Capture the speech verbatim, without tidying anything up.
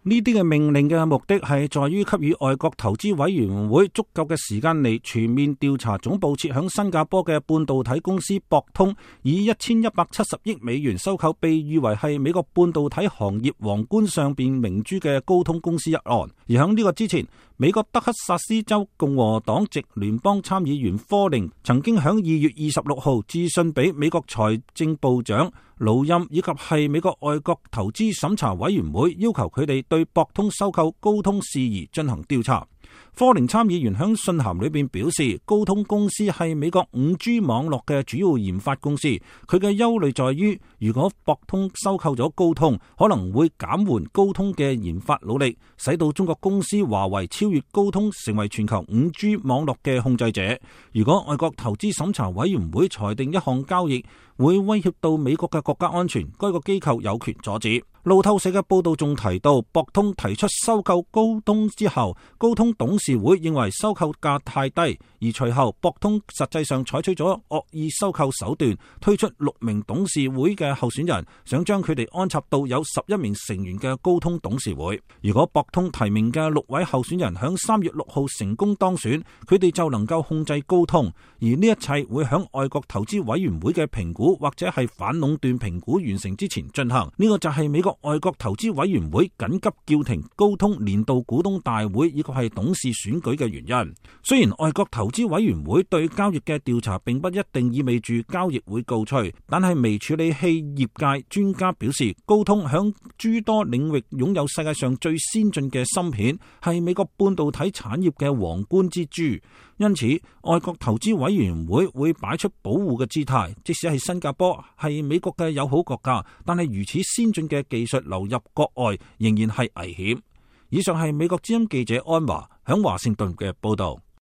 呢啲嘅命令嘅目的係在於給予外國投資委員會足夠嘅時間嚟全面調查總部設響新加坡嘅半導體公司博通以一千一百七十億美元收購被譽為係美國半導體行業皇冠上邊明珠嘅高通公司一案。而響呢個之前，美國德克薩斯州共和黨籍聯邦參議員科寧曾經響二月二十六號致信俾美國財政部長魯欽以及係美國外國投資審查委員會，要求佢哋對博通收購高通事宜進行調查。科寧參議員響信函裏邊表示，高通公司係美國 五 G 網絡嘅主要研發公司，佢嘅憂慮在於，如果博通收購咗高通，可能會減緩高通嘅研發努力，使到中國公司華為超越高通，成為全球 五 G 網絡嘅控制者。如果外國投資審查委員會裁定一項交易會威脅到美國嘅國家安全，該個機構有權阻止。路透社嘅報道仲提到，博通提出收購高通之後，高通董事會認為收購價太低，而隨後博通實際上採取咗惡意收購手段，推出六名董事會嘅候選人，想將佢哋安插到有十一名成員嘅高通董事會。如果博通提名嘅六位候選人響三月六號成功當選，佢哋就能夠控制高通，而呢一切會響外國投資委員會嘅評估或者係反壟斷評估完成之前進行。呢個就係美國外國投資委員會緊急叫停高通年度股東大會以及係董事選舉嘅原因。雖然外國投資委員會對交易嘅調查並不一定意味住交易會告吹，但係微處理器業界專家表示，高通響諸多領域擁有世界上最先進嘅芯片，係美國半導體產業嘅皇冠之珠。因此，外國投資委員會會擺出保護嘅姿態，即使係新加坡係美國嘅友好國家，但係如此先進嘅技術流入國外仍然係危險。以上係美國之音記者安華響華盛頓嘅報道。